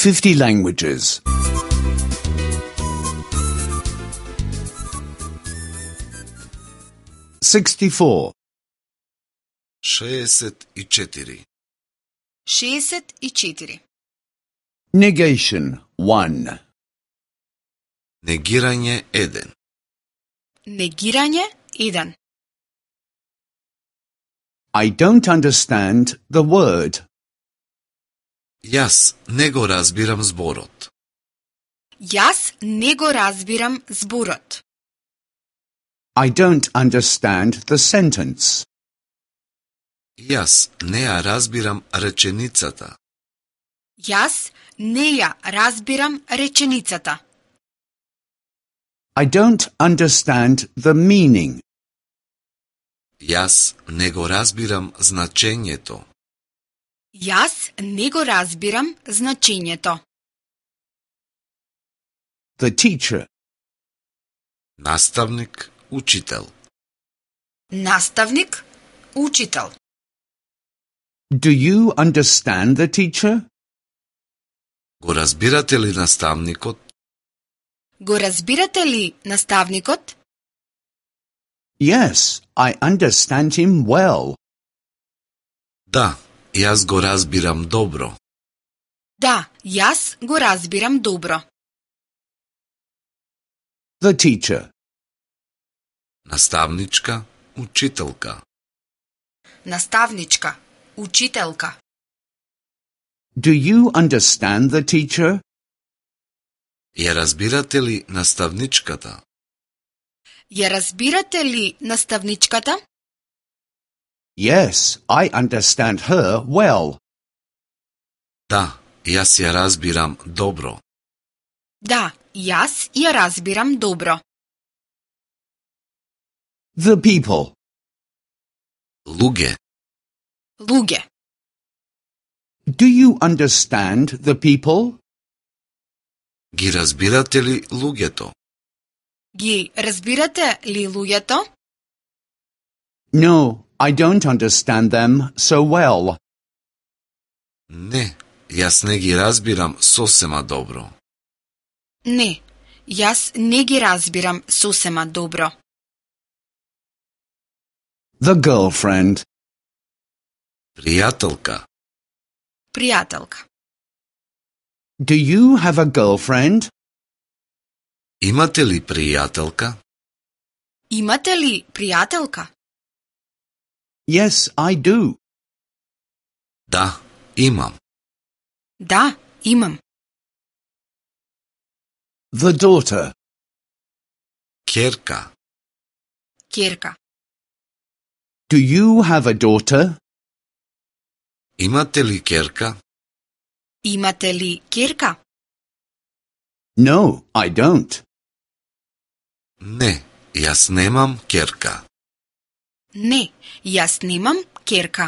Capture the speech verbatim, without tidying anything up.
fifty languages. sixty-four. шеесет и четири. шеесет и четири. Negation one. Негирање еден. Негирање еден. I don't understand the word. Јас не го разбирам зборот. Јас не го разбирам зборот. I don't understand the sentence. Јас не ја разбирам реченицата. Јас не ја разбирам реченицата. I don't understand the meaning. Јас не го разбирам значењето. Јас не го разбирам значењето. The teacher. Наставник, учител. Наставник, учител. Do you understand the teacher? Го разбирате ли наставникот? Го разбирате ли наставникот? Yes, I understand him well. Да, јас го разбирам добро. Да, јас го разбирам добро. The teacher. Наставничка, учителка. Наставничка, учителка. Do you understand the teacher? Ја разбирате ли наставничката? Ја разбирате ли наставничката? Yes, I understand her well. Да, јас ја разбирам добро. Да, јас ја разбирам добро. The people. Луѓе. Луѓе. Do you understand the people? Ги разбирате ли луѓето? Ги разбирате ли луѓето? No, I don't understand them so well. Не, јас не ги разбирам сосема добро. Не, јас не ги разбирам сосема добро. The girlfriend. Пријателка. Пријателка. Do you have a girlfriend? Имате ли пријателка? Имате ли пријателка? Yes, I do. Да, имам. Да, имам. The daughter. Ќерка. Ќерка. Do you have a daughter? Имате ли ќерка? Имате ли ќерка? No, I don't. Не, јас немам ќерка. Не, јас немам ќерка.